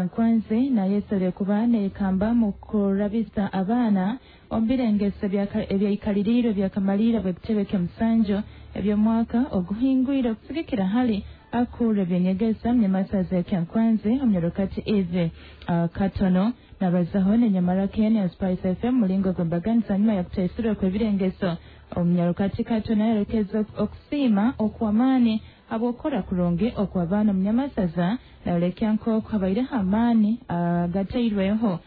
Kyankwanzi nayesabire kuba neekamba mu kurabisa abaana omu birengeso ebyaikaliriirwe byakamalira bw'ekitebe ky'omusanju eby'omwaka oguhingwire okusigikira hali akuura ebyenyegesa munyamasaza ya Kyankwanzi omunyarukati Eve Katono nabazaho nenyamara Kenya Spice FM mulingo gw'embaganiza nyuma ya kutaisirwa kw'ebirengeso. Omunyarukati Katono yarekeza okusiima okw'amaani habw'okukora kurungi okw'abaana omunyamasaza, nayolekya nk'oku habaireho amaani agatairweho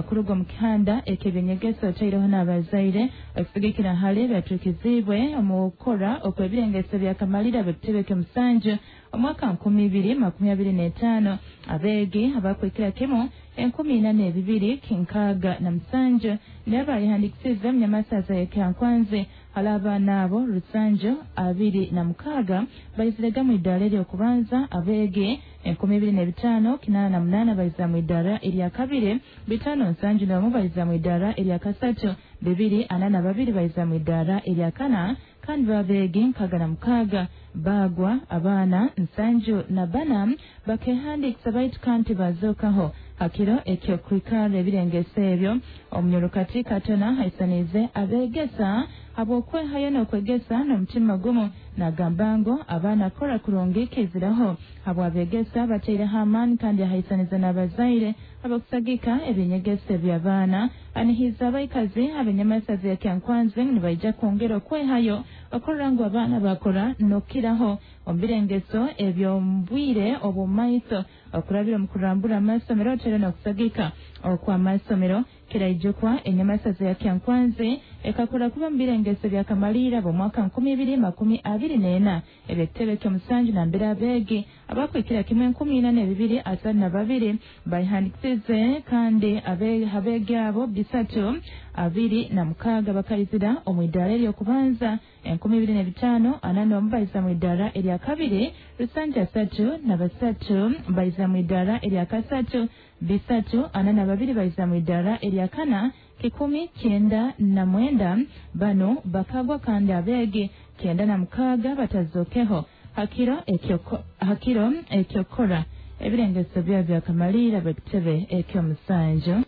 kuruga omu kihanda eky'ebyenyegesa otaireho n'abazaire okusigikira hali ebyatuukiziibwe omu kukora okw'ebirengeso byakamalira b'ekitebe ky'omusanju omwaka 2025. Abeegi abakwikira kimu 4267 nibo bayehandikisize omunyamasaza ya Kyankwanzi. Hali abaana abo, 726 baizirega mu idaara ery'okubanza, abeegi 2588 baiza mu idaara erya kabiri, 571 baiza mu idaara erya kasatu, 242 baiza mu idaara erya kana, kandi babeegi 66 baagwa. Abaana 74 bakehandiikisa baitu kandi bazookaho hakiro eky'okwikarra ebirengeso ebyo. Omunyarukati Katona haisaniize abeegesa habw'okwehayo n'okwegesa n'omutima gumu, nagamba ngu abaana kukora kurungi kiiziraho habw'abeegesa bataireho amaani, kandi ahaisaniza n'abazaire abakusagika ebyenyegesa eby'abaana. Anihiiza abaikazi ab'enyamasaza ya Kyankwanzi nibaija kwongera okwehayo okurora ngu abaana bakora n'okukiraho omu birengeso eby'omu bwire obw'omu maiso okurabira omu kurambura amasomero otero n'okusagika okw'amasomero. Kiraijukwa enyamasaza ya Kyankwanzi ekakora kuba mu birengeso byakamaliira b'omwaka 2024 eby'ekitebe ky'omusanju, nambere abeegi abakwikira kimwe 4232 bayihandikisize, kandi abeegi abo 326 bakaizira omu idaara ery'okubanza, 2541 baiza mu idaara erya kabiri, 733 baiza mu idaara erya kasatu, 342 baiza mu idaara erya kana, 199 bano bakagwa, kandi abeegi 96 batazokeho hakiro ekyokora ebirengeso byabo byakamaliira b'ekitebe eky'omusanju.